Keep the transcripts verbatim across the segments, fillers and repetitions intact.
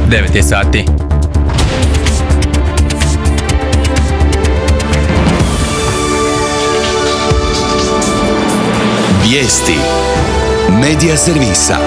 devet je sati. Vijesti Medija servisa.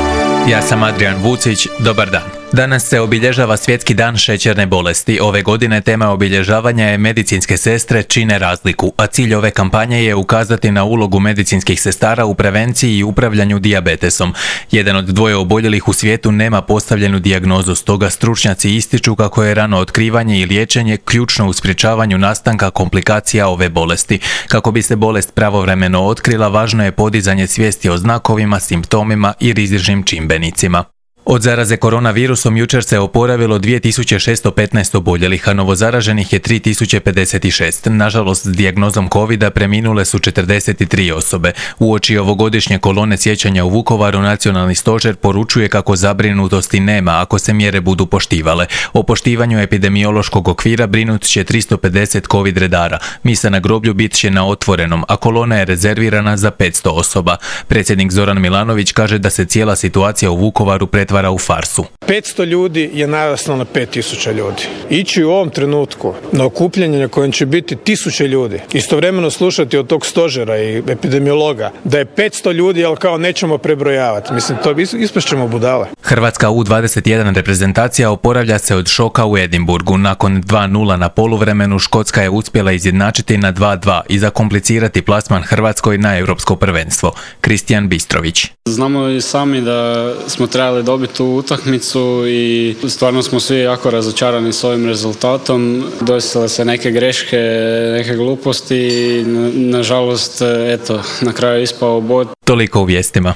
Ja sam Adrian Vucić, dobar dan. Danas se obilježava Svjetski dan šećerne bolesti. Ove godine tema obilježavanja je medicinske sestre čine razliku, a cilj ove kampanje je ukazati na ulogu medicinskih sestara u prevenciji i upravljanju dijabetesom. Jedan od dvoje oboljelih u svijetu nema postavljenu dijagnozu, stoga stručnjaci ističu kako je rano otkrivanje i liječenje ključno u sprječavanju nastanka komplikacija ove bolesti. Kako bi se bolest pravovremeno otkrila, važno je podizanje svijesti o znakovima, simptomima i rizičnim čimbenicima. Od zaraze koronavirusom jučer se oporavilo dvije tisuće šesto petnaest oboljelih, a novozaraženih je tri tisuće pedeset šest. Nažalost, s dijagnozom covida preminule su četrdeset tri osobe. Uoči ovogodišnje kolone sjećanja u Vukovaru, Nacionalni stožer poručuje kako zabrinutosti nema ako se mjere budu poštivale. O poštivanju epidemiološkog okvira brinut će tristo pedeset covid redara. Misa na groblju bit će na otvorenom, a kolona je rezervirana za petsto osoba. Predsjednik Zoran Milanović kaže da se cijela situacija u Vukovaru pretvara u farsu. petsto ljudi je naraslo na pet tisuća ljudi. Ići u ovom trenutku na okupljanje na kojem će biti tisuće ljudi, istovremeno slušati od tog stožera i epidemiologa da je petsto ljudi, ali kao nećemo prebrojavati. Mislim, to ispašćemo budale. Hrvatska U dvadeset jedan reprezentacija oporavlja se od šoka u Edinburgu. Nakon dva nula na poluvremenu, Škotska je uspjela izjednačiti na dva dva i zakomplicirati plasman Hrvatskoj na europsko prvenstvo. Kristijan Bistrović. Znamo i sami da smo trebali dobiti tu utakmicu i stvarno smo svi jako razočarani s ovim rezultatom. Desile se neke greške, neke gluposti i nažalost, eto, na kraju ispao bod. Toliko u vijestima.